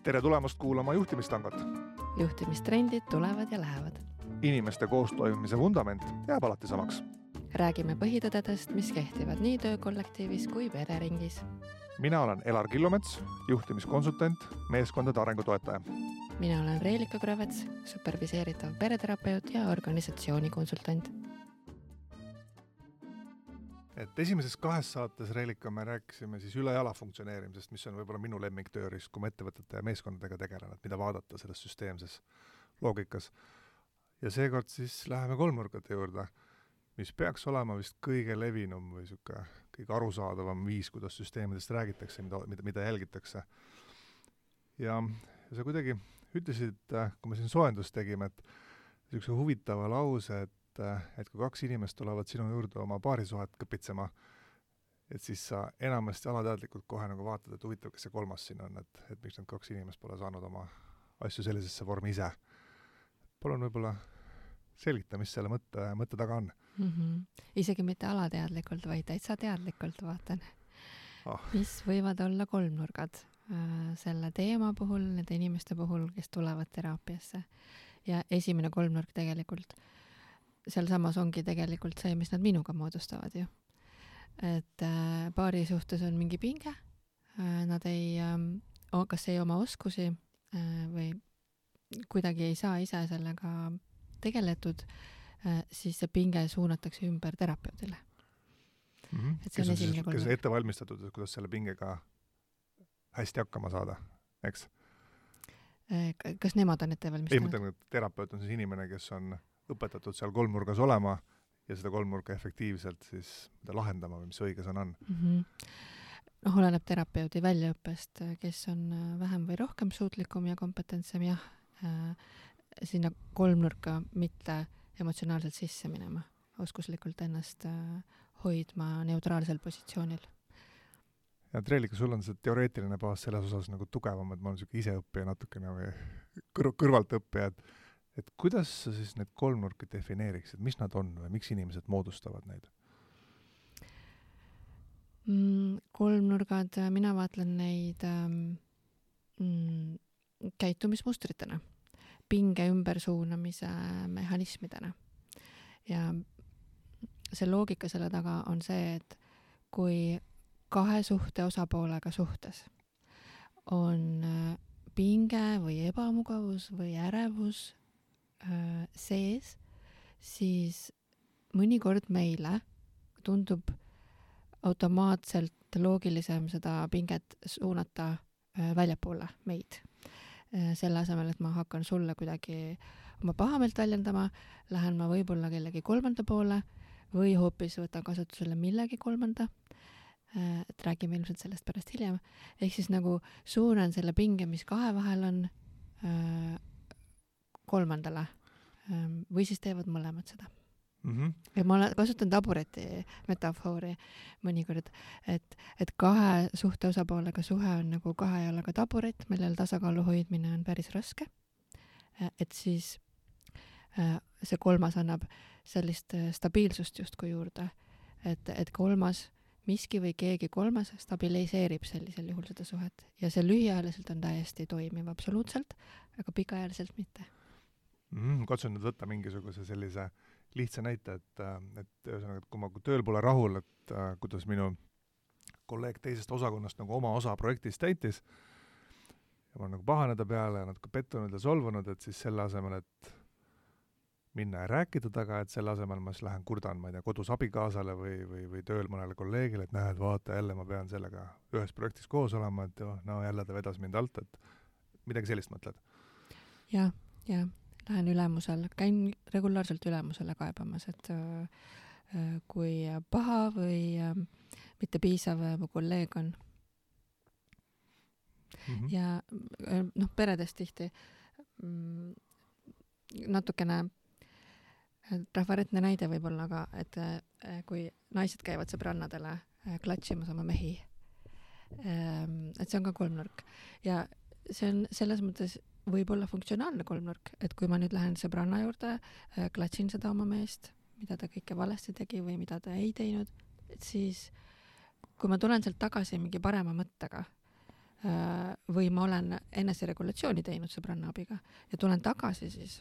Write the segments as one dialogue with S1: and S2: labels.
S1: Tere tulemast kuulama juhtimistangot.
S2: Juhtimistrendid tulevad ja lähevad.
S1: Inimeste koostoimimise vundament jääb alati samaks.
S2: Räägime põhitõdedest, mis kehtivad nii töökollektiivis kui pereringis.
S1: Mina olen Elar Killomets, juhtimiskonsultant, meeskondade arengutoetaja.
S2: Mina olen Reelika Krõvets, superviseeritav pereterapeut ja organisatsioonikonsultant.
S1: Et esimeses 2 saates, Reelika, me rääkisime siis ülejala funktsioneerimisest, mis on võib-olla minu lemmiktööriist, kui ma ettevõtete ja meeskondadega tegelen, et mida vaadata selles süsteemses loogikas. Ja seekord siis läheme kolmnurkade juurde, mis peaks olema vist kõige levinum või kõige arusaadavam viis, kuidas süsteemidest räägitakse, mida jälgitakse. Ja sa kuidagi ütlesid, kui me siin soojendust tegime, et niisuguse huvitava lause, et kui 2 inimest tulevad sinu juurde oma paarisuhet kõpitsema, et siis sa enamasti alateadlikult kohe nagu vaatad, et huvitav, kes see 3. siin on, et miks need 2 inimest pole saanud oma asju sellisesse vormi ise. Palun võib-olla selgita, mis selle mõtte taga on.
S2: Isegi mitte alateadlikult, vaid täitsa teadlikult vaatan. Mis võivad olla kolmnurgad selle teema puhul, nende inimeste puhul, kes tulevad teraapiasse. Ja esimene kolmnurk tegelikult, seal samas ongi tegelikult see, mis nad minuga moodustavad ju. Et paari suhtes on mingi pinge, nad kas ei oma oskusi või kuidagi ei saa ise sellega tegeletud, siis see pinge suunatakse ümber terapeudile. Et see on esimene kolmnurk.
S1: Kes on ette valmistatud, kuidas selle pingega hästi hakkama saada, eks?
S2: Kas nemad on ette valmistanud?
S1: Ei, mõtlen, et terapeut on siis inimene, kes on õpetatud seal kolmnurgas olema ja seda kolmnurka efektiivselt siis lahendama või mis õiges on.
S2: Oleneb terapeudi väljaõppest, kes on vähem või rohkem suutlikum ja kompetentsem, jah, sinna kolmnurka mitte emotsionaalselt sisse minema, oskuslikult ennast hoidma neutraalsel positsioonil.
S1: Ja Reelika, sul on see teoreetiline baas selles osas nagu tugevam, et ma olen ise õppija natukene või kõrvalt õppija, et kuidas sa siis need kolmnurki defineeriksid, mis nad on või miks inimesed moodustavad neid?
S2: Kolmnurgad, mina vaatlen neid käitumismustritena, pinge ümbersuunamise mehhanismidena. Ja see loogika selle taga on see, et kui 2 suhte osapoolega suhtes on pinge või ebamugavus või ärevus sees, siis mõnikord meile tundub automaatselt loogilisem seda pinget suunata väljapoole meid. Selle asemel, et ma hakkan sulle kuidagi oma pahameelt väljendama, lähen ma võib-olla kellegi 3. poole või hoopis võtan kasutusele millegi 3. Et räägime ilmselt sellest pärast hiljem. Ehk siis nagu suunan selle pinge, mis 2 vahel on 3. või siis teevad mõlemad seda. Ja ma kasutan tabureti metafoori mõnikord, et 2 suhte osapoolega suhe on nagu 2 jalaga taburet, millel tasakaalu hoidmine on päris raske. Et siis see 3. annab sellist stabiilsust justkui juurde, et 3. miski või keegi 3. stabiliseerib sellisel juhul seda suhet. Ja see lühiajaliselt on täiesti toimiv absoluutselt, aga pikaajaliselt mitte.
S1: Katsun nüüd võtta mingisuguse sellise lihtsa näite, et kui ma tööl pole rahul, et kuidas minu kolleeg teisest osakonnast nagu oma osa projektist täitis ja ma olen nagu pahaneda peale ja natuke pettunud ja solvunud, et siis selle asemel, et minna ja rääkida taga, et selle asemel ma siis lähen kurdan, ma ei tea, kodus abikaasale või tööl mõnele kolleegile, et näed, vaata, jälle ma pean sellega ühes projektis koos olema, et jälle ta vedas mind alt, et midagi sellist mõtled?
S2: Ja. Lähen ülemusel, käin regulaarselt ülemusele kaebamas, et kui paha või mitte piisav mu kolleeg on. Ja peredes tihti natukene rahvaretne näide võib-olla, aga et kui naised käivad sõbrannadele klatšimas oma mehi, et see on ka kolmnurk. Ja see on selles mõttes võib-olla funktsionaalne kolmnurk, et kui ma nüüd lähen sõbranna juurde, klatsin seda oma meest, mida ta kõike valesti tegi või mida ta ei teinud, et siis kui ma tulen sealt tagasi mingi parema mõttega või ma olen eneseregulatsiooni teinud sõbranna abiga ja tulen tagasi siis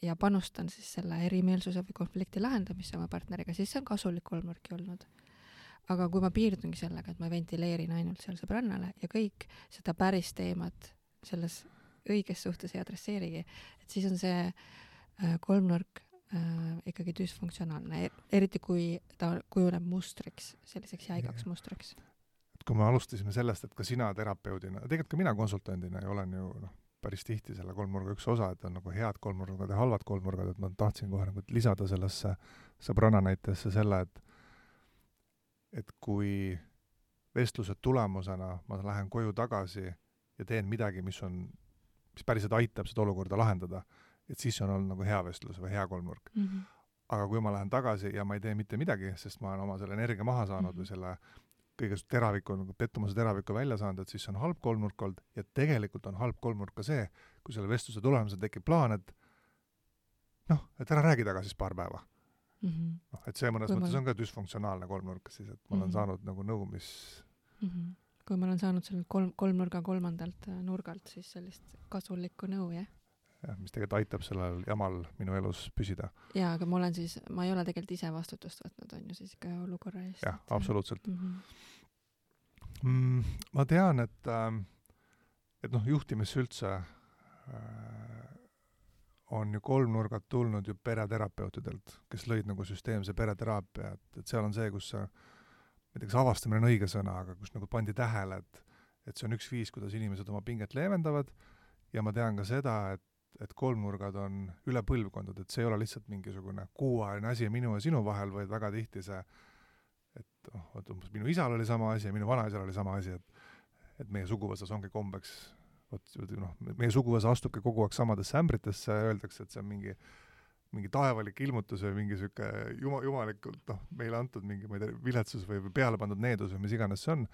S2: ja panustan siis selle erimeelsuse või konflikti lahendamisse oma partneriga, siis see on kasulik kolmnurki olnud. Aga kui ma piirdungi sellega, et ma ventileerin ainult seal sõbrannale ja kõik seda päris teemat selles õiges suhtes ei adresseerigi, et siis on see kolmnurk ikkagi düsfunktsionaalne, eriti kui ta kujuneb mustriks, selliseks jäigaks mustriks.
S1: Kui me alustasime sellest, et ka sina terapeudina, tegelikult ka mina konsultandina ja olen ju päris tihti selle kolmnurga üks osa, et on nagu head kolmnurgad ja halvad kolmnurgad, et ma tahtsin kohe nagu lisada sellesse sõbranna näitesse selle, et kui vestluse tulemusena ma lähen koju tagasi ja teen midagi, mis päriselt aitab seda olukorda lahendada, et siis on olnud nagu hea vestlus või hea kolmnurk. Aga kui ma lähen tagasi ja ma ei tee mitte midagi, sest ma olen oma selle energia maha saanud või selle kõige teraviku, nagu pettumuse teraviku välja saanud, et siis on halb kolmnurk olnud ja tegelikult on halb kolmnurk ka see, kui selle vestluse tulemusel tekib plaan, et ära räägi taga siis paar päeva. Et see mõnes mõttes on ka düsfunktsionaalne kolmnurk siis, et ma olen saanud nagu nõu, mis...
S2: Kui ma olen saanud selle kolmnurga kolmandalt nurgalt, siis sellist kasulikku nõu, jah?
S1: Jah, mis tegelikult aitab sellel jamal minu elus püsida.
S2: Jaa, aga ma ei ole tegelikult ise vastutust võtnud, on ju siis ka olukorra eest.
S1: Jah, absoluutselt. Ma tean, et juhtimisse üldse on ju kolmnurgad tulnud ju pereterapeutidelt, kes lõid nagu süsteemse pereteraapia, et seal on see, kus näiteks avastamine on õige sõna, aga kus nagu pandi tähele, et see on üks viis, kuidas inimesed oma pinget leevendavad ja ma tean ka seda, et kolmnurgad on üle põlvkondad, et see ei ole lihtsalt mingisugune kuuajaline asi minu ja sinu vahel, vaid väga tihti see, et umbes minu isal oli sama asi ja minu vanaisal oli sama asi, et meie suguvõsas ongi kombeks, meie suguvõsa astubki kogu aeg samadesse ämbritesse ja öeldakse, et see on mingi taevalik ilmutus või mingi siuke jumalikult meile antud mingi viletsus või peale pandud needus või mis iganes see on,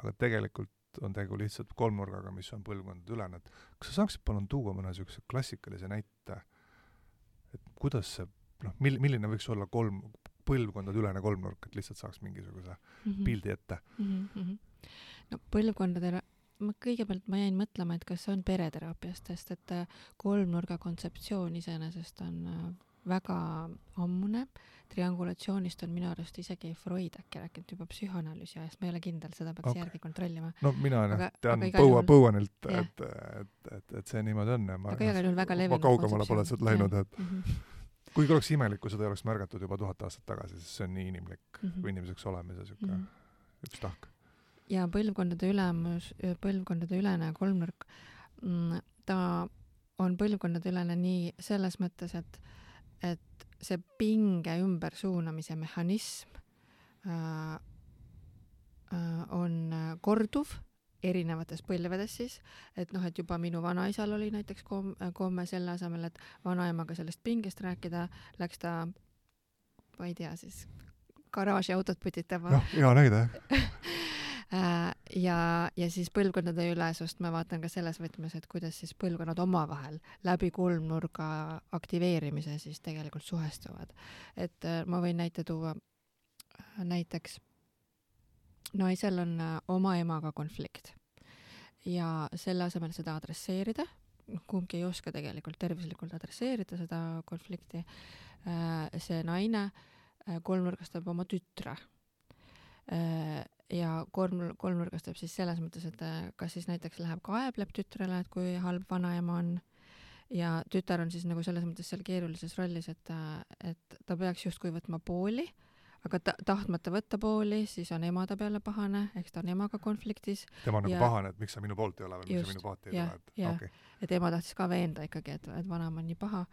S1: aga tegelikult on tegu lihtsalt kolmnurgaga, mis on põlvkondade ülene. Kas sa saaksid palun tuua mõne niisuguse klassikalise näite, et kuidas see, milline võiks olla põlvkondade ülene kolmnurk, et lihtsalt saaks mingisuguse pildi ette?
S2: No põlvkondadele, kõigepealt ma jäin mõtlema, et kas see on pereteraapiast, sest et kolmnurga kontseptsioon iseenesest on väga ammune. Triangulatsioonist on minu arust isegi Freud äkki rääkinud juba psühhoanalüüsi ajast, ma ei ole kindel, seda peaks järgi kontrollima.
S1: No mina tean põuanilt, et see niimoodi on.
S2: Aga igal juhul väga levinud
S1: kaugemale pole sealt läinud, et kuigi oleks imelik, kui seda ei oleks märgatud juba 1000 aastat tagasi, sest see on nii inimlik või inimeseks olemise üks tahk.
S2: Ja põlvkondade ülene kolmnurk, ta on põlvkondade ülene nii selles mõttes, et see pinge ümbersuunamise mehhanism on korduv erinevates põlvedes siis, et juba minu vanaisal oli näiteks komme selle asemel, et vanaemaga sellest pingest rääkida, läks ta, ma ei tea siis, garaaži autot putitama.
S1: Hea näide.
S2: Ja siis põlvkondade ülesust ma vaatan ka selles võtmes, et kuidas siis põlvkonnad omavahel läbi kolmnurga aktiveerimise siis tegelikult suhestuvad. Et ma võin näite tuua, näiteks naisel on oma emaga konflikt ja selle asemel seda adresseerida, kumbki ei oska tegelikult tervislikult adresseerida seda konflikti, see naine kolmnurgastab oma tütre. Ja kolmnurgastab siis selles mõttes, et kas siis näiteks läheb kaebleb tütrele, et kui halb vanaema on ja tütar on siis nagu selles mõttes seal keerulises rollis, et ta peaks justkui võtma pooli, aga tahtmata võtta pooli, siis on ema ta peale pahane, eks ta on emaga konfliktis.
S1: Tema on nagu pahane, et miks sa minu poolt ei ole või miks sa minu poolt ei ole.
S2: Et ema tahtis ka veenda ikkagi, et vanaema on nii paha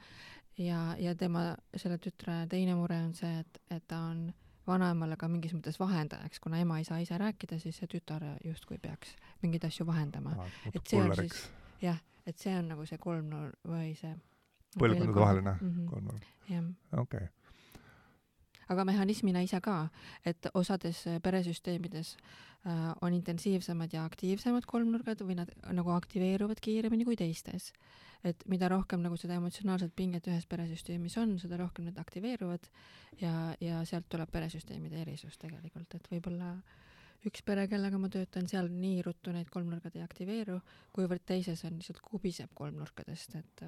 S2: ja tema, selle tütre teine mure on see, et ta on vanaemale ka mingis mõttes vahendajaks, kuna ema ei saa ise rääkida, siis see tütar justkui peaks mingeid asju vahendama. Et see on siis, et see on nagu see kolmnurk või see
S1: põlvkondade vaheline kolmnurk. Okay.
S2: Aga mehhanismina ise ka, et osades peresüsteemides on intensiivsemad ja aktiivsemad kolmnurgad või nad nagu aktiveeruvad kiiremini kui teistes. Et mida rohkem nagu seda emotsionaalset pinget ühes peresüsteemis on, seda rohkem need aktiveeruvad ja sealt tuleb peresüsteemide erisus tegelikult, et võib-olla üks pere, kellega ma töötan, seal nii ruttu need kolmnurgad ei aktiveeru, kuivõrd teises on lihtsalt kubiseb kolmnurkadest, et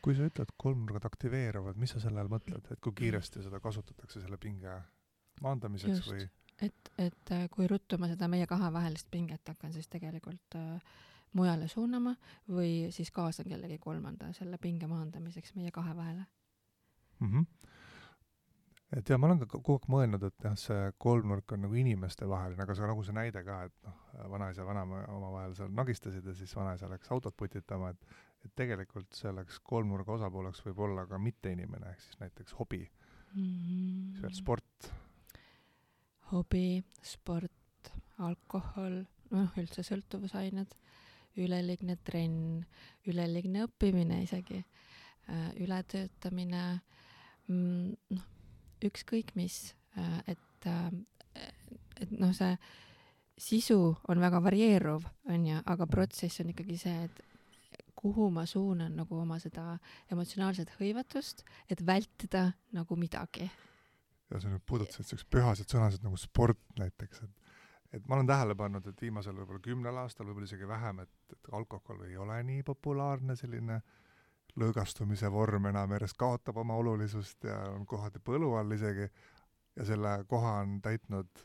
S1: kui sa ütled kolmnurgad aktiveeruvad, mis sa selle all mõtled, et kui kiiresti seda kasutatakse selle pinge maandamiseks
S2: just,
S1: või?
S2: et kui ruttu ma seda meie kahe vahelist pinget hakkan siis tegelikult mujale suunama või siis kaasan kellegi kolmanda selle pinge maandamiseks meie kahe vahele.
S1: Et ja ma olen ka kogu aeg mõelnud, et jah, see kolmnurk on nagu inimeste vaheline, aga see nagu see näide ka, et noh, vanaisa ja vanaema omavahel seal nagistasid ja siis vanaisa läks autot putitama, et tegelikult selleks kolmnurga osapooleks võib olla ka mitte inimene, ehk siis näiteks hobi, siis veel sport.
S2: Hobi, sport, alkohol, üldse sõltuvusained, üleliigne trenn, üleliigne õppimine isegi, ületöötamine, ükskõik mis, et see sisu on väga varieeruv, on ju, aga protsess on ikkagi see, et kuhu ma suunan nagu oma seda emotsionaalset hõivatust, et vältida nagu midagi.
S1: Ja sa nüüd puudutasid selleks pühased sõnased nagu sport näiteks, et ma olen tähele pannud, et viimasel võib-olla 10 aastal, võib-olla isegi vähem, et alkohol ei ole nii populaarne selline lõõgastumise vorm enam järjest kaotab oma olulisust ja on kohati põlu all isegi ja selle koha on täitnud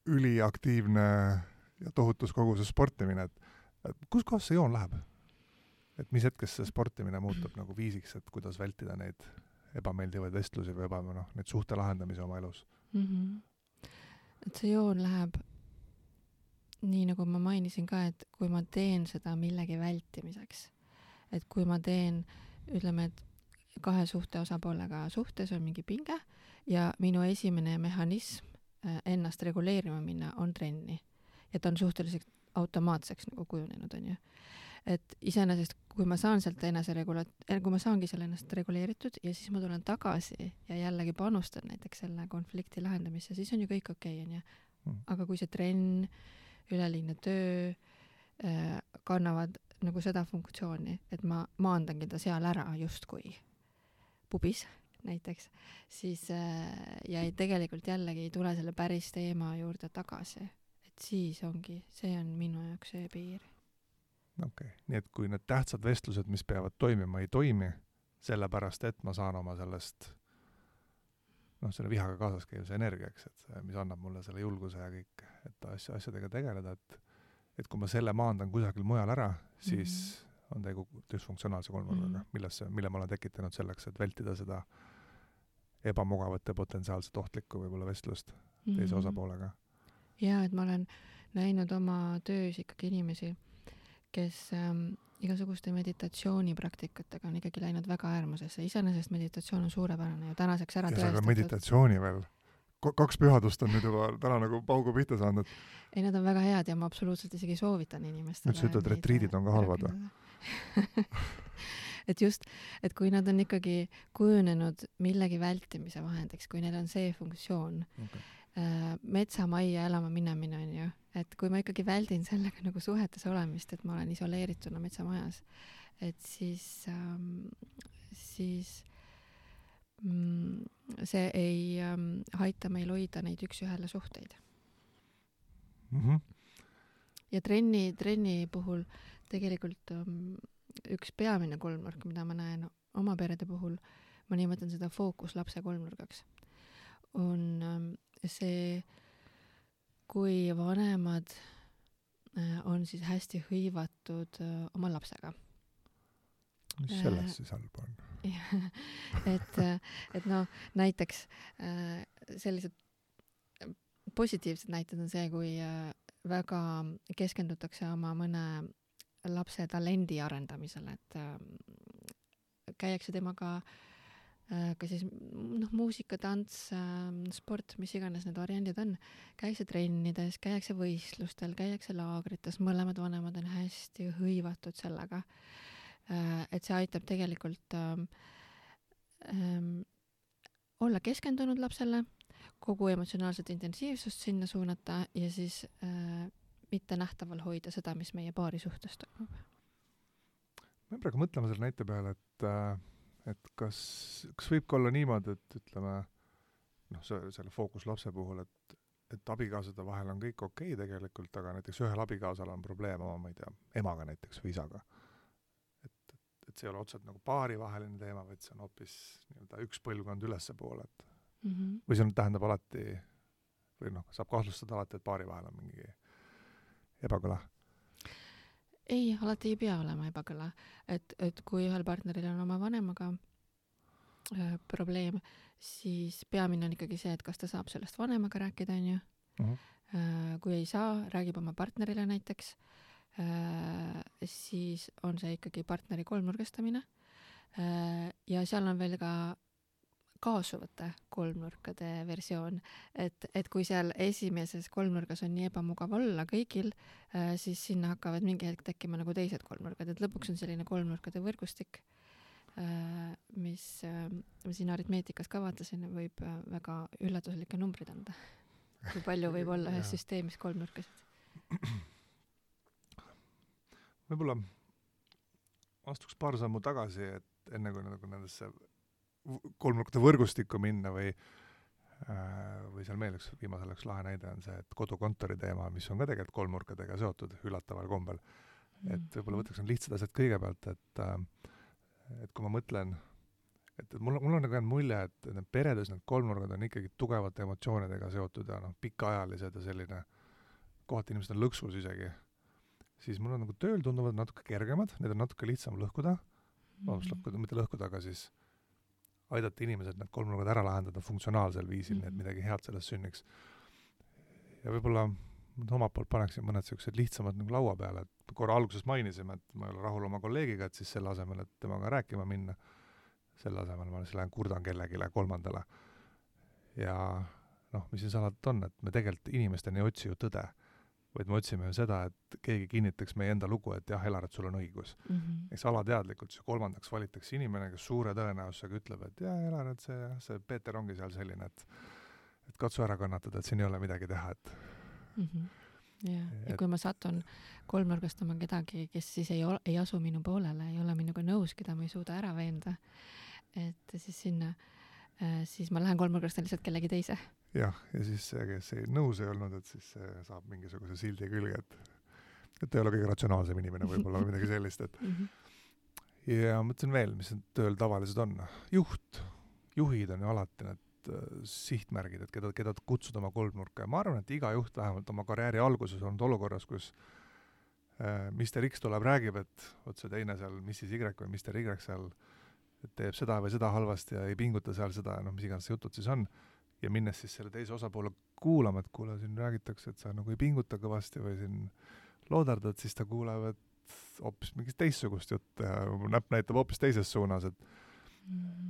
S1: üliaktiivne ja tohutus koguses sportimine, et kus kohas see joon läheb? Et mis hetkes see sportimine muutub nagu viisiks, et kuidas vältida neid ebameeldivaid vestlusi või neid suhte lahendamise oma elus?
S2: Et see joon läheb nii, nagu ma mainisin ka, et kui ma teen seda millegi vältimiseks, et kui ma teen, ütleme, et kahe suhte osapoolega suhtes on mingi pinge ja minu esimene mehhanism ennast reguleerima minna on trenni. Ja ta on suhteliselt automaatseks nagu kujunenud, on ju. Et iseenesest, kui ma saan sealt kui ma saangi selle ennast reguleeritud ja siis ma tulen tagasi ja jällegi panustan näiteks selle konflikti lahendamisse, siis on ju kõik okei, on ju. Aga kui see trenn, üleliigne töö kannavad nagu seda funktsiooni, et ma maandangi ta seal ära justkui pubis näiteks, siis ja tegelikult jällegi ei tule selle päris teema juurde tagasi. Et siis ongi, see on minu jaoks see piir.
S1: Okei, nii et kui need tähtsad vestlused, mis peavad toimima, ei toimi, sellepärast, et ma saan oma sellest selle vihaga kaasas käiv see energiaks, et see, mis annab mulle selle julguse ja kõik, et asjadega tegeleda, et kui ma selle maandan kusagil mujal ära, siis on tegu dysfunktsionaalse kolmnurgaga, mille ma olen tekitanud selleks, et vältida seda ebamugavat ja potentsiaalselt ohtlikku võib-olla vestlust teise osapoolega.
S2: Ja, et ma olen näinud oma töös ikkagi inimesi, kes igasuguste meditatsioonipraktikatega on ikkagi läinud väga äärmusesse. Iseenesest meditatsioon on suurepärane ja tänaseks ära tõestatud. Ja
S1: meditatsiooni veel. 2 pühadust on nüüd juba täna nagu paugu pihta saanud.
S2: Ei, nad on väga head ja ma absoluutselt isegi soovitan inimestele.
S1: Nüüd sa ütled, retriidid on ka halvad või?
S2: Et just, et kui nad on ikkagi kujunenud millegi vältimise vahendiks, kui neil on see funktsioon, metsamajja elama minemine on ju, et kui ma ikkagi väldin sellega nagu suhetes olemist, et ma olen isoleerituna metsamajas, et siis see ei haita meil hoida neid üks-ühele suhteid. Ja trenni puhul tegelikult üks peamine kolmnurk, mida ma näen oma perede puhul, ma nimetan seda fookuslapse kolmnurgaks, on see, kui vanemad on siis hästi hõivatud oma lapsega.
S1: Mis selles siis halb on?
S2: et näiteks sellised positiivsed näited on see, kui väga keskendutakse oma mõne lapse talendi arendamisele, et käiakse temaga ka siis muusika, tants, sport, mis iganes need variandid on, käiakse trennides, käiakse võistlustel, käiakse laagrites, mõlemad vanemad on hästi hõivatud sellega, et see aitab tegelikult olla keskendunud lapsele, kogu emotsionaalset intensiivsust sinna suunata ja siis mitte nähtaval hoida seda, mis meie paari suhtes toimub.
S1: Ma praegu mõtlema selle näite peale, et kas võib ka olla niimoodi, et ütleme, selle fookuslapse puhul, et et abikaasade vahel on kõik okei tegelikult, aga näiteks ühel abikaasal on probleem oma, ma ei tea, emaga näiteks või isaga. Et see ei ole otseselt nagu paarivaheline teema, vaid see on hoopis nii-öelda üks põlvkond ülesse poole, et või see tähendab alati, või saab kahtlustada alati, et paari vahel on mingi ebakõla.
S2: Ei, alati ei pea olema ebakõla. Et kui ühel partneril on oma vanemaga probleem, siis peamine on ikkagi see, et kas ta saab sellest vanemaga rääkida, on ju. Kui ei saa, räägib oma partnerile näiteks, siis on see ikkagi partneri kolmnurgastamine. Ja seal on veel ka kaasuvate kolmnurkade versioon, et kui seal esimeses kolmnurgas on nii ebamugav olla kõigil, siis sinna hakkavad mingi hetk tekkima nagu teised kolmnurkad, et lõpuks on selline kolmnurkade võrgustik, mis siin aritmeetikas ka vaatasin, võib väga üllatuslikke numbrid anda, kui palju võib olla ühes süsteemis kolmnurkasid.
S1: Võib-olla astuks paar sammu tagasi, et enne kui nagu nendesse kolmnurkade võrgustikku minna või seal meil viimasel üks lahe näide on see, et kodukontori teema, mis on ka tegelikult kolmnurkadega seotud üllataval kombel. Et võib-olla võtaks on lihtsad asjad kõigepealt, et kui ma mõtlen, et mul on nagu jäänud mulje, et need peredes need kolmnurgad on ikkagi tugevate emotsioonidega seotud ja pikaajalised ja selline, kohati inimesed on lõksus isegi, siis mul on nagu tööl tunduvad natuke kergemad, need on natuke lihtsam lõhkuda, mitte lõhkuda, aga siis aidata inimesed need kolmnurgad ära lahendada funktsionaalsel viisil, nii et midagi head sellest sünniks. Ja võib-olla omalt poolt paneksin mõned sellised lihtsamad nagu laua peale, et korra alguses mainisime, et ma ei ole rahul oma kolleegiga, et siis selle asemel, et temaga rääkima minna, selle asemel ma lähen kurdan kellegile kolmandale. Ja mis siin salat on, et me tegelikult inimesteni ei otsi ju tõde, vaid me otsime ju seda, et keegi kinnitaks meie enda lugu, et jah, Elar, et sul on õigus. Eks alateadlikult see kolmandaks valitakse inimene, kes suure tõenäosusega ütleb, et jah, Elar, et see Peeter ongi seal selline, et katsu ära kannatada, et siin ei ole midagi teha, et
S2: ja kui ma satun kolmnurgastama kedagi, kes siis ei asu minu poolele, ei ole minuga nõus, keda ma ei suuda ära veenda, et siis sinna, siis ma lähen kolmnurgastan lihtsalt kellegi teise.
S1: Ja siis see, kes ei nõus ei olnud, et siis saab mingisuguse sildi külge, et ei ole kõige ratsionaalsem inimene võib-olla või midagi sellist, et ja mõtlen veel, mis tööl tavalised on. Juhid on ju alati need sihtmärgid, et keda kutsuda oma kolmnurka ja ma arvan, et iga juht vähemalt oma karjääri alguses on olukorras, kus Mr. X tuleb, räägib, et see teine seal, Mrs. Y või Mr. Y seal teeb seda või seda halvasti ja ei pinguta seal seda, mis iganes jutud siis on. Ja minnes siis selle teise osapoole kuulama, et kuule, siin räägitakse, et sa nagu ei pinguta kõvasti või siin loodardad, siis ta kuuleb, et hoopis mingist teissugust juttu ja näpp näitab hoopis teises suunas, et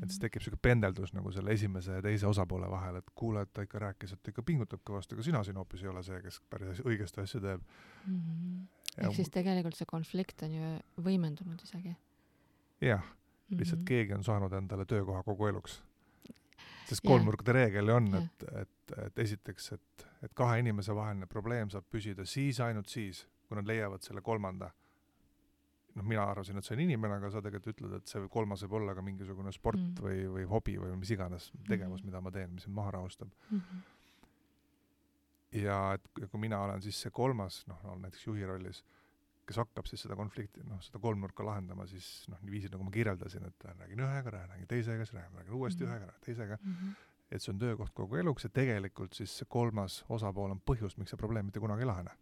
S1: siis tekib selline pendeldus nagu selle esimese ja teise osapoole vahel, et kuule, et ta ikka rääkis, et ta ikka pingutab kõvasti, aga sina siin hoopis ei ole see, kes päris õigesti asja teeb.
S2: Ehk siis tegelikult see konflikt on ju võimendunud isegi.
S1: Jah, lihtsalt keegi on saanud endale töökoha kogu eluks. Sest kolmnurkade reegel on, et esiteks, et kahe inimese vaheline probleem saab püsida ainult siis, kui nad leiavad selle kolmanda. Mina arvasin, et see on inimene, aga sa tegelikult ütled, et see kolmas võib olla ka mingisugune sport või hobi või mis iganes tegevus, mida ma teen, mis mind maha rahustab. Ja et kui mina olen siis see kolmas, näiteks juhi rollis, kes hakkab siis seda konflikti, seda kolmnurka lahendama, siis nii viisid, nagu ma kirjeldasin, et räägin ühega, räägin teisega, räägin uuesti ühega, teisega, et see on töökoht kogu eluks ja tegelikult siis see kolmas osapool on põhjus, miks see probleem mitte kunagi ei lahene.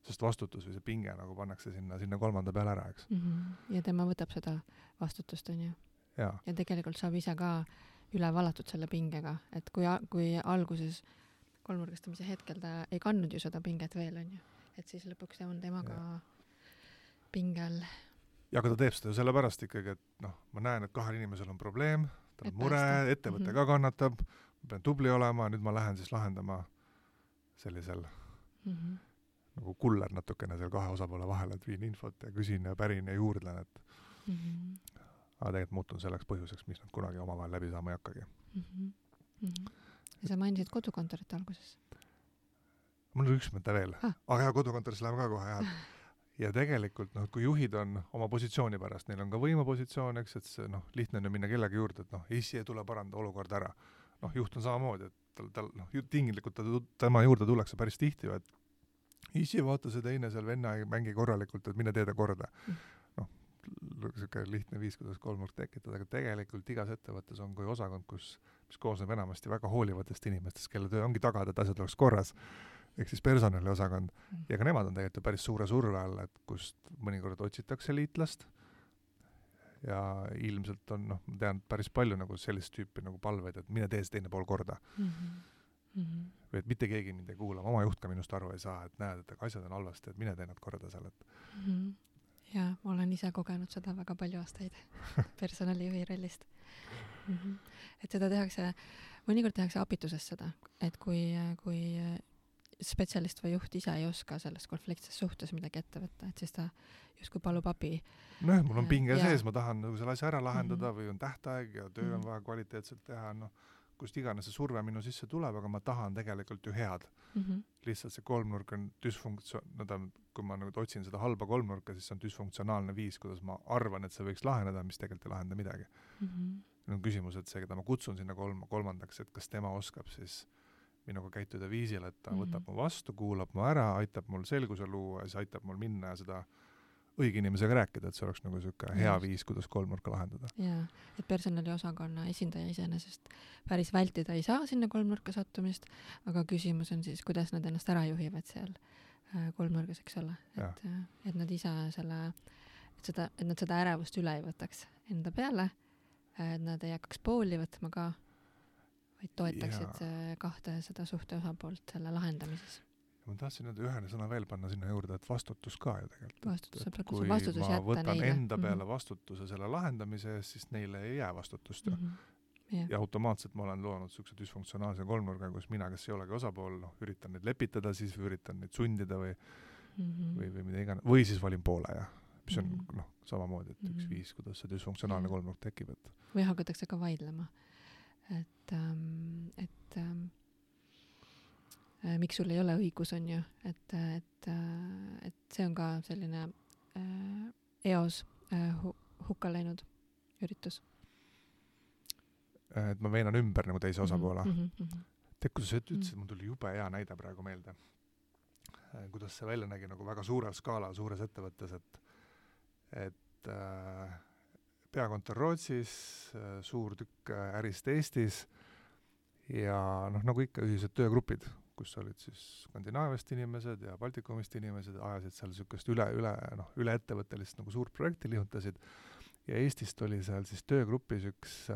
S1: Sest vastutus või see pinge nagu pannakse sinna kolmanda peale ära, eks.
S2: Ja tema võtab seda vastutust, on ju.
S1: Ja
S2: tegelikult saab ise ka üle valatud selle pingega, et kui alguses kolmnurgastamise hetkel ta ei kandnud ju seda pinget veel, on ju. Et siis lõpuks on temaga pingel.
S1: Ja aga ta teeb seda ju sellepärast ikkagi, et ma näen, et kahel inimesel on probleem, ta on mure, ettevõte ka kannatab, ma pean tubli olema, nüüd ma lähen siis lahendama sellisel nagu kuller natukene seal kahe osapoole vahel, et viin infot ja küsin ja pärin ja juurdlen, et aga tegelikult muutun selleks põhjuseks, mis nad kunagi omavahel läbi saama ei hakkagi.
S2: Ja sa mainisid kodukontorit alguses?
S1: Mul on üks mõte veel. Aga ja kodukontoris läheme ka kohe. Ja tegelikult, kui juhid on oma positsiooni pärast, neil on ka võimapositsioon, eks, et see lihtne on minna kellegi juurde, et issi ei tule paranda olukord ära. Juht on samamoodi, et tal tinglikult tema juurde tullakse päris tihti, et isi, vaata see teine seal venna ei mängi korralikult, et mine tee ta korda. Siuke lihtne viis, kuidas kolmnurk tekitada, aga tegelikult igas ettevõttes on kui osakond, mis koosneb enamasti väga hoolivatest inimestest, kelle töö ongi tagada, et asjad oleks korras, ehk siis personaliosakond. Ja ka nemad on tegelikult päris suure surve all, et kust mõnikord otsitakse liitlast ja ilmselt on, ma tean päris palju nagu sellist tüüpi nagu palveid, et mine tee see teine pool korda. Või et mitte keegi mind ei kuula, oma juht ka minust aru ei saa, et näed, et asjad on halvasti, et mine tee nad korda seal, et
S2: ja ma olen ise kogenud seda väga palju aastaid personalijuhi rollist. Et seda mõnikord tehakse apituses seda, et kui spetsialist või juht ise ei oska selles konfliktses suhtes midagi ette võtta, et siis ta justkui palub abi.
S1: Mul on pinge sees, ma tahan nagu selle asja ära lahendada või on tähtaeg ja töö on vaja kvaliteetselt teha, kust iganes see surve minu sisse tuleb, aga ma tahan tegelikult ju head. Lihtsalt see kolmnurk on kui ma nagu otsin seda halba kolmnurka, siis see on düsfunktsionaalne viis, kuidas ma arvan, et see võiks laheneda, mis tegelikult ei lahenda midagi. On küsimus, et see, keda ma kutsun sinna kolmandaks, et kas tema oskab siis minuga käituda viisil, et ta võtab mu vastu, kuulab mu ära, aitab mul selguse luua ja siis aitab mul minna ja seda õige inimesega rääkida, et see oleks nagu siuke hea viis, kuidas kolmnurka lahendada.
S2: Jaa, et personaliosakonna esindaja iseenesest päris vältida ei saa sinna kolmnurka sattumist, aga küsimus on siis, kuidas nad ennast ära juhivad seal kolmnurgas, eks ole. Et nad ise et nad seda ärevust üle ei võtaks enda peale, et nad ei hakkaks pooli võtma ka, vaid toetaksid kahte seda suhte osapoolt selle lahendamises.
S1: Ma tahtsin ühe sõna veel panna sinna juurde, et vastutus ka ju tegelikult.
S2: Kui
S1: ma võtan enda peale vastutuse selle lahendamise eest, siis neile ei jää vastutust. Ja automaatselt ma olen loonud sükse düsfunktsionaalse kolmnurga, kus mina, kes ei olegi osapool, üritan neid lepitada, siis üritan neid sundida või mida iganes. Või siis valin poole, mis on samamoodi, et üks viis, kuidas see düsfunktsionaalne kolmnurk tekib.
S2: Või hakatakse ka vaidlema. Et miks sul ei ole õigus, on ju, et see on ka selline eos hukka läinud üritus.
S1: Et ma veenan ümber nagu teise osapoole. Kuidas sa ütlesid, mul tuli jube hea näide praegu meelde. Kuidas see välja nägi nagu väga suurel skaalal, suures ettevõttes, et peakontor Rootsis, suur tükk ärist Eestis ja nagu ikka ühised töögrupid, kus olid siis Skandinaaviast inimesed ja Baltikumist inimesed, ajasid seal sükest üle ettevõttelist nagu suurt projekti lihutasid ja Eestist oli seal siis töögrupis üks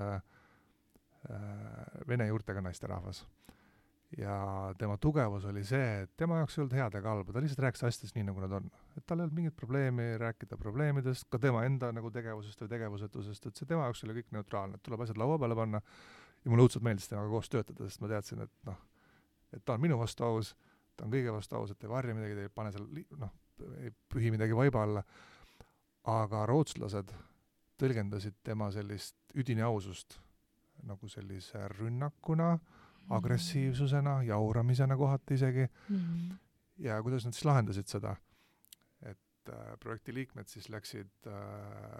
S1: vene juurtega naisterahvas. Ja tema tugevus oli see, et tema jaoks ei olnud head ega halba, ta lihtsalt rääkis asjadest nii, nagu nad on. Et tal ei olnud mingit probleemi rääkida probleemidest, ka tema enda nagu tegevusest või tegevusetusest, et see tema jaoks oli kõik neutraalne, et tuleb asjad laua peale panna ja mulle õudselt meeldis temaga koos töötada, sest ma teadsin, et ta on minu vastu aus, ta on kõige vastu aus, et ei varja midagi, ei pane seal, ei pühi midagi vaiba alla. Aga rootslased tõlgendasid tema sellist üdini ausust nagu sellise rünnakuna, agressiivsusena, jauramisena kohati isegi. Ja kuidas nad siis lahendasid seda? Et projekti liikmed siis läksid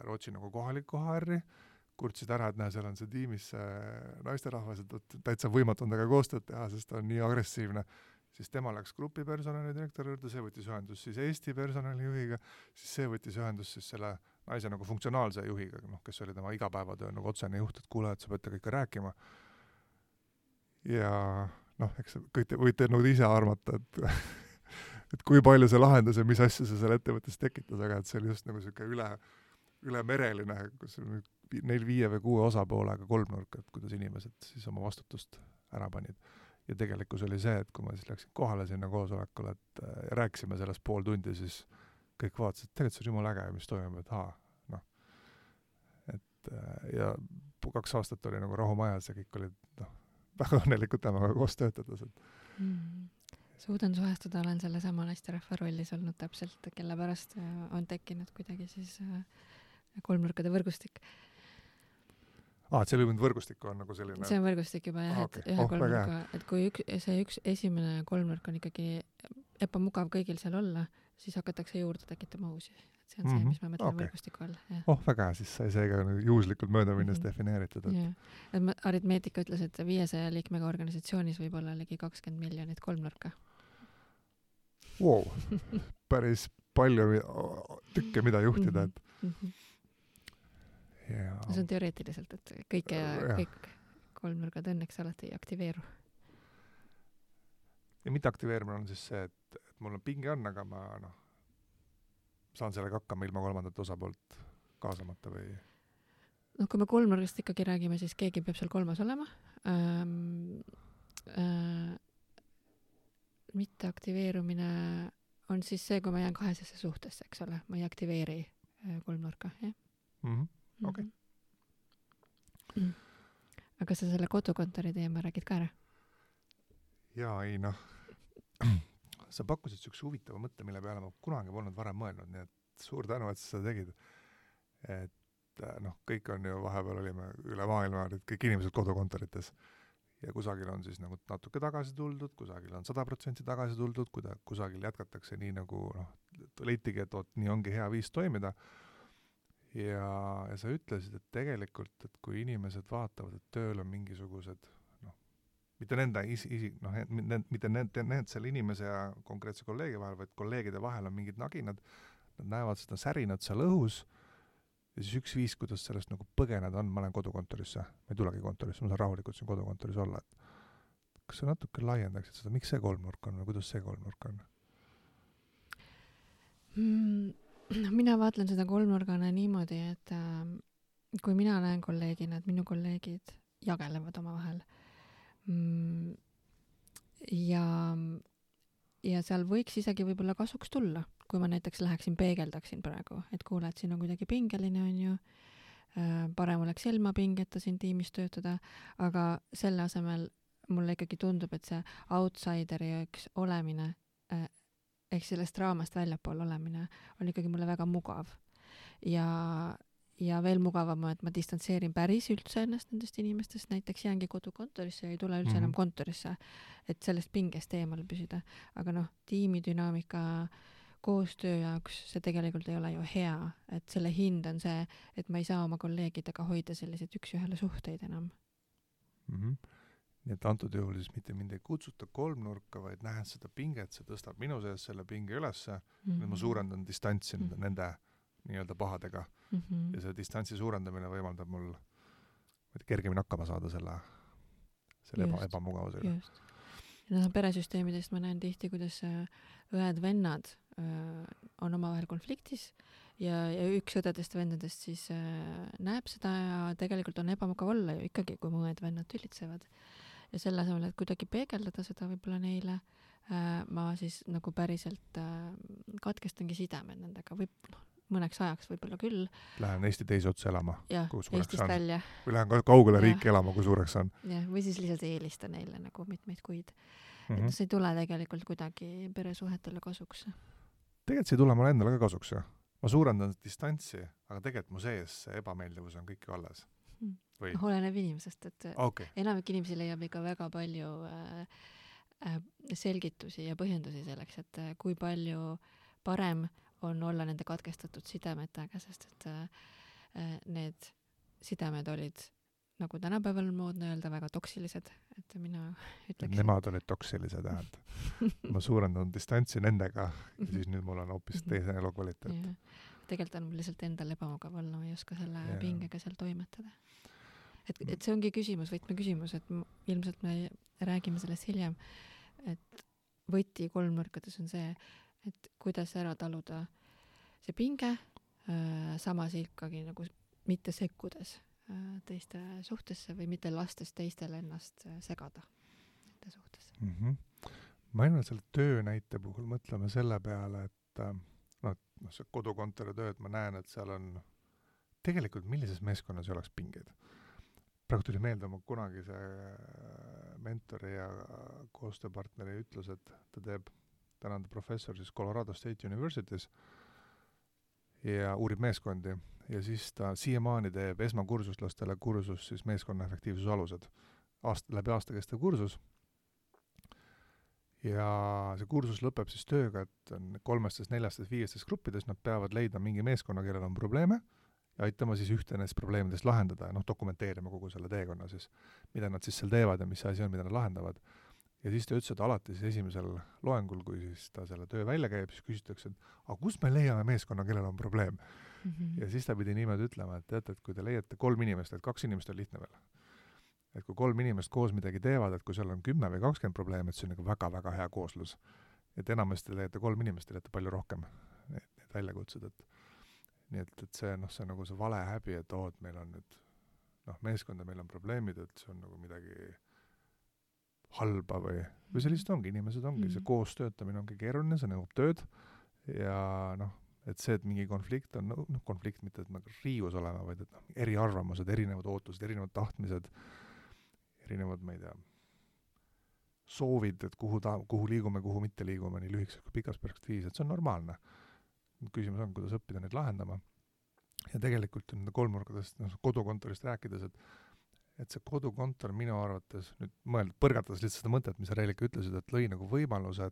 S1: Rootsi nagu kohalikku HR-i, kurtsid ära, et seal on see tiimis naisterahvas, et täitsa võimatu on temaga koostööd teha, sest ta on nii agressiivne. Siis tema läks grupi personali direktori juurde, see võttis ühendus siis Eesti personalijuhiga, siis see võttis ühendus siis selle naise nagu funktsionaalse juhiga, kes oli tema igapäevatöö nagu otsene juht, et kuule, et sa peate kõike rääkima. Ja eks kõik võite nagu ise armata, et kui palju see lahendas ja mis asja see seal ettevõttes tekitas, aga et see oli just nagu siuke ülemereline, kus neil 5 või 6 osapoolega kolmnurk, et kuidas inimesed siis oma vastutust ära panid. Ja tegelikkus oli see, et kui ma siis läksin kohale sinna koosolekule, et rääkisime sellest pool tundi, siis kõik vaatasid, et tegelikult see on jumala äge, mis toimub, et ja 2 aastat oli nagu rahumajas ja kõik olid väga õnnelikud temaga koos töötades.
S2: Suudan suhestuda, olen selle sama naisterahva rollis olnud täpselt, kelle pärast on tekkinud kuidagi siis kolmnurkade võrgustik.
S1: Et see võrgustik on nagu selline...
S2: See on võrgustik juba, jah, et ühe kolmnurka, et kui see üks esimene kolmnurk on ikkagi ebamugav kõigil seal olla, siis hakatakse juurde tekitama uusi. Et see on see, mis ma mõtlen võrgustiku all.
S1: Väga hea, siis sai seega juhuslikult mööda minnes defineeritud.
S2: Aritmeetika ütles, et 500 liikmega organisatsioonis võib olla ligi 20 miljonit kolmnurka.
S1: Wow. Päris palju tükke, mida juhtida.
S2: See on teoreetiliselt, et kõik kolmnurgad õnneks alati ei aktiveeru.
S1: Ja mitte aktiveerimine on siis see, et mul on pinge on, aga ma saan sellega hakkama ilma kolmandat osapoolt kaasamata või?
S2: Kui me kolmnurgast ikkagi räägime, siis keegi peab seal kolmas olema. Mitte aktiveerumine on siis see, kui ma jään kahesesse suhtesse, eks ole. Ma ei aktiveeri kolmnurka, jah?
S1: Okei.
S2: Aga sa selle kodukontori teema räägid ka ära?
S1: Jaa, ei sa pakkusid sükse huvitava mõtte, mille peale ma kunagi polnud varem mõelnud, nii et suur tänu, et sa seda tegid. Et kõik on ju, vahepeal olime üle maailma, kõik inimesed kodukontorites ja kusagil on siis nagu natuke tagasi tuldud, kusagil on 100% tagasi tuldud, kusagil jätkatakse nii nagu leitigi, et nii ongi hea viis toimida. Ja sa ütlesid, et tegelikult, et kui inimesed vaatavad, et tööl on mingisugused mitte nende mitte need selle inimese ja konkreetse kolleegi vahel, vaid kolleegide vahel on mingid naginad, nad näevad seda särinat seal õhus ja siis üks viis, kuidas sellest nagu põgeneda on, ma lähen kodukontorisse, ma ei tulegi kontorisse, ma saan rahulikult siin kodukontoris olla. Kas sa natuke laiendaksid seda, miks see kolmnurk on või kuidas see kolmnurk on?
S2: Mina vaatlen seda kolmnurgana niimoodi, et kui mina näen kolleegina, et minu kolleegid jagelevad oma vahel, ja seal võiks isegi võib-olla kasuks tulla, kui ma näiteks läheksin peegeldaksin praegu, et kuule, et siin on kuidagi pingeline on ju, parem oleks ilma pingeta siin tiimis töötada, aga selle asemel mulle ikkagi tundub, et see outsideri üks olemine, ehk sellest raamast väljapool olemine on ikkagi mulle väga mugav ja veel mugavam, et ma distantseerin päris üldse ennast nendest inimestest, näiteks jäängi kodukontorisse ja ei tule üldse enam kontorisse, et sellest pingest eemal püsida. Aga tiimidünaamika koostöö jaoks see tegelikult ei ole ju hea, et selle hind on see, et ma ei saa oma kolleegidega hoida selliseid üks-ühele suhteid enam.
S1: Nii et antud juhul siis mitte mind ei kutsuta kolmnurka, vaid nähes seda pinget, see tõstab minu sees selle pinge ülesse, ma suurendan distantsi nende nii-öelda pahadega ja see distantsi suurendamine võimaldab mul kergemini hakkama saada selle ebamugavusega.
S2: Just. Ja peresüsteemidest ma näen tihti, kuidas õed-vennad on omavahel konfliktis ja üks õdedest vendadest siis näeb seda ja tegelikult on ebamugav olla ju ikkagi, kui mu õed-vennad tülitsevad. Ja selle asemel, et kuidagi peegeldada seda võib-olla neile, ma siis nagu päriselt katkestangi sidemed nendega või mõneks ajaks võib-olla küll.
S1: Lähen Eesti teise otsa elama, kui suureks on.
S2: Välja.
S1: Või lähen kaugele riiki elama, kui suureks on.
S2: Ja, või siis lihtsalt eelista neile nagu mitmeid kuid. Et see ei tule tegelikult kuidagi peresuhetele kasuks.
S1: Tegelikult see ei tule mulle endale ka kasuks. Ma suurendan distantsi, aga tegelikult mu sees see ebameeldivus on kõik alles.
S2: Oleneb inimesest, et enamik inimesi leiab ikka väga palju selgitusi ja põhjendusi selleks, et kui palju parem on olla nende katkestatud sidemetega, sest et need sidemed olid, nagu tänapäeval moodne öelda, väga toksilised, et mina ütleks.
S1: Nemad olid toksilised, ma suurendan distantsi nendega ja siis nüüd mul on hoopis teise elukvaliteet.
S2: Tegelikult on mul lihtsalt endal ebamugav olla, ma ei oska selle pingega seal toimetada. Et see ongi küsimus, võtmeküsimus, et ilmselt me räägime sellest hiljem, et võti kolmnurkades on see, et kuidas ära taluda see pinge, samas ikkagi nagu mitte sekkudes teiste suhtesse või mitte lastes teistel ennast segada nende suhtesse.
S1: Ma ainult selle töö näite puhul mõtleme selle peale, et see kodukontori töö, et ma näen, et seal on tegelikult millises meeskonnas ei oleks pingeid. Praegu tuli meelde oma kunagi see mentori ja koostööpartneri ütlus, et ta teeb tänane professor siis Colorado State University's ja uurib meeskondi ja siis ta siiamaani teeb esmakursuslastele kursus siis meeskonna efektiivsuse alused. Läbi aasta kestev kursus ja see kursus lõpeb siis tööga, et on 3, 4, 5 gruppides, nad peavad leidma mingi meeskonna, kellel on probleeme ja aitama siis ühte nendest probleemidest lahendada ja dokumenteerima kogu selle teekonna siis, mida nad siis seal teevad ja mis asi on, mida nad lahendavad. Ja siis ta ütles, et alati siis esimesel loengul, kui siis ta selle töö välja käib, siis küsitakse, et aga kus me leiame meeskonna, kellel on probleem? Ja siis ta pidi niimoodi ütlema, et teate, et kui te leiate 3 inimest, et 2 inimest on lihtne veel. Et kui 3 inimest koos midagi teevad, et kui seal on 10 või 20 probleemi, et see on nagu väga-väga hea kooslus. Et enamasti leiate 3 inimest, leiate palju rohkem need väljakutsed, et nii et see, see on nagu see vale häbi, et et meil on nüüd meeskonda, meil on probleemid, et see on nagu midagi halba või see lihtsalt ongi, inimesed ongi, see koos töötamine ongi keeruline, see nõuab tööd ja et see, et mingi konflikt on, konflikt mitte, et nagu riius olema, vaid et eriarvamused, erinevad ootused, erinevad tahtmised, erinevad, ma ei tea, soovid, et kuhu liigume, kuhu mitte liigume, nii lühikses kui pikas perspektiivis, et see on normaalne. Küsimus on, kuidas õppida neid lahendama. Ja tegelikult nende kolmnurkadest, kodukontorist rääkides, et see kodukontor minu arvates, nüüd põrgatades lihtsalt seda mõtet, mis sa Reelika ütlesid, et lõi nagu võimaluse,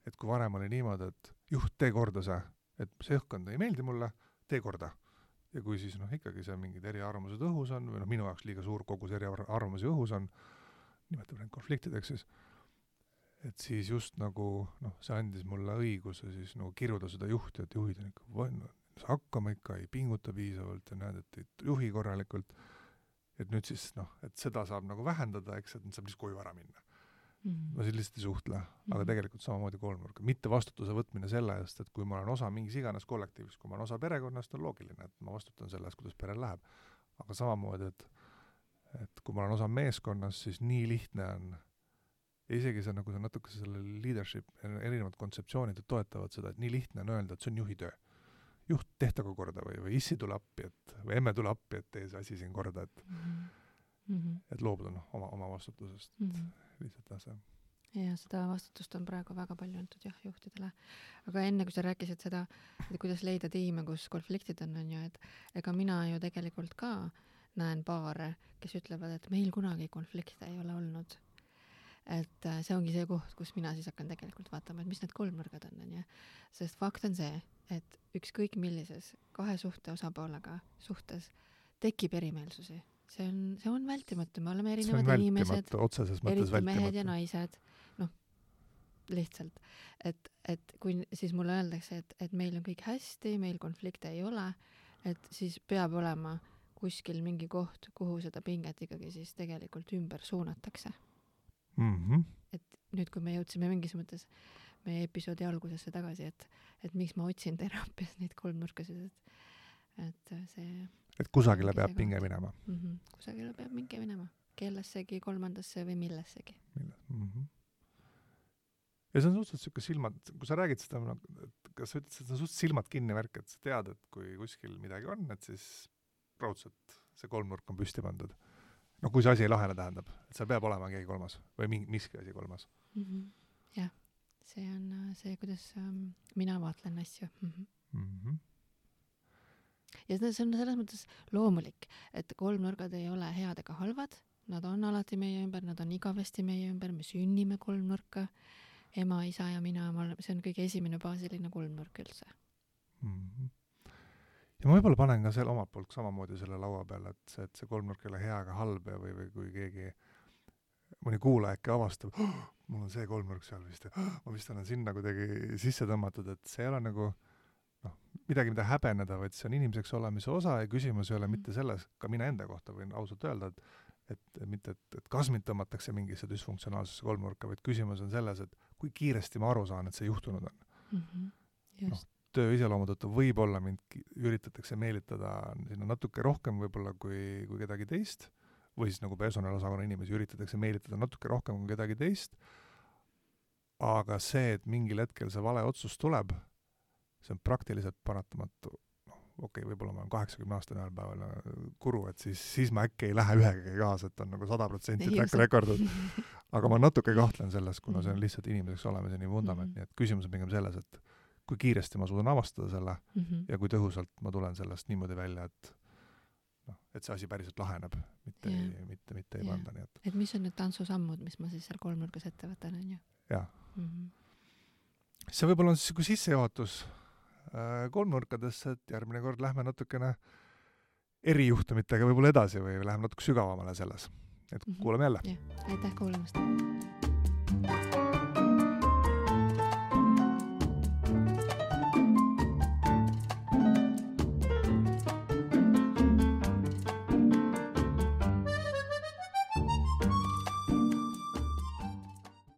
S1: et kui varem oli niimoodi, et juht, tee korda see, et see õhkkond ei meeldi mulle, tee korda. Ja kui siis ikkagi see mingid eriarvamused õhus on, või minu jaoks liiga suur kogus eriarvamusi õhus on, nimetame need konfliktideks siis, et siis just nagu, see andis mulle õiguse siis nagu kiruda seda juhti, et juhid on ikka hakkama ikka, ei pinguta piisavalt ja näed, et ei juhi korralikult, et nüüd siis, et seda saab nagu vähendada, eks, et saab lihtsalt koju ära minna. Ma siis lihtsalt ei suhtle, aga tegelikult samamoodi kolmnurka. Mitte vastutuse võtmine selle eest, et kui ma olen osa mingis iganes kollektiivis, kui ma olen osa perekonnast, on loogiline, et ma vastutan selle eest, kuidas perel läheb. Aga samamoodi, et kui ma olen osa meeskonnas, siis nii lihtne on, ja isegi see, nagu see natuke selle leadership, erinevad kontseptsioonid toetavad seda, et nii lihtne on öelda, et see on juhi töö. Juht, tehtagu korda või issi tule appi, või emme tule appi, et tee see asi siin korda, et loobuda oma vastutusest. Lihtsalt see.
S2: Ja seda vastutust on praegu väga palju antud juhtidele. Aga enne, kui sa rääkisid seda, et kuidas leida tiime, kus konfliktid on ju, et ega mina ju tegelikult ka näen paare, kes ütlevad, et meil kunagi konflikte ei ole olnud. Et see ongi see koht, kus mina siis hakkan tegelikult vaatama, et mis need kolmnurgad on. Sest fakt on see, et ükskõik millises 2 suhte osapoolega suhtes tekib erimeelsusi. See on vältimatu, me oleme erinevad inimesed, eriti mehed ja naised, lihtsalt. Et kui siis mulle öeldakse, et meil on kõik hästi, meil konflikte ei ole, et siis peab olema kuskil mingi koht, kuhu seda pinget ikkagi siis tegelikult ümber suunatakse. Et nüüd, kui me jõudsime mingis mõttes meie episoodi algusesse tagasi, et miks ma otsin teraapias neid kolmnurkasid, et see...
S1: Et kusagile peab pinge minema.
S2: Kusagile peab pinge minema. Kellessegi, kolmandasse või millessegi.
S1: Ja see on suhteliselt siuke silmad, kui sa räägid seda, kas sa ütled, et see on suhteliselt silmad kinni värk, et sa tead, et kui kuskil midagi on, et siis raudselt see kolmnurk on püsti pandud. Kui see asi ei lahene tähendab, et seal peab olema keegi kolmas või miski asi kolmas.
S2: Jah, see on see, kuidas mina vaatlen asju. Ja see on selles mõttes loomulik, et kolmnurgad ei ole head ega halvad, nad on alati meie ümber, nad on igavesti meie ümber, me sünnime kolmnurka, ema, isa ja mina, see on kõige esimene baasiline kolmnurk üldse.
S1: Ja ma võib-olla panen ka selle omalt poolt samamoodi selle laua peale, et see kolmnurk ei ole hea ega halb või kui keegi mõni kuulaja äkki avastab, mul on see kolmnurk seal vist ja ma vist olen sinna kuidagi sisse tõmmatud, et see ei ole nagu midagi, mida häbeneda, vaid see on inimeseks olemise osa ja küsimus ei ole mitte selles, ka mina enda kohta võin ausalt öelda, et mitte, et kas mind tõmmatakse mingisse dysfunktsionaalsesse kolmnurka, vaid küsimus on selles, et kui kiiresti ma aru saan, et see juhtunud on. Töö iseloomu tõttu võib-olla mind üritatakse meelitada sinna natuke rohkem võib-olla kui kedagi teist, või siis nagu personaliosakonna inimesi üritatakse meelitada natuke rohkem kui kedagi teist, aga see, et mingil hetkel see vale otsus tuleb, see on praktiliselt paratamatu. Võib-olla ma olen 80 aastane ühel päeval kuru, et siis ma äkki ei lähe ühegi kaasa, et on nagu 100% track recordud. Aga ma natuke kahtlen selles, kuna see on lihtsalt inimeseks olemise nii vundament. Nii et küsimus on pigem selles, et kui kiiresti ma suudan avastada selle ja kui tõhusalt ma tulen sellest niimoodi välja, et see asi päriselt laheneb, mitte ei panda.
S2: Et mis on need tantsusammud, mis ma siis seal kolmnurgas ette võtan, on ju?
S1: jah.
S2: -hmm.
S1: See võib-olla on siis sissejuhatus kolmnurkadesse, et järgmine kord lähme natukene erijuhtumitega võib-olla edasi või läheme natuke sügavamale selles. Et kuulame jälle.
S2: Aitäh kuulamast!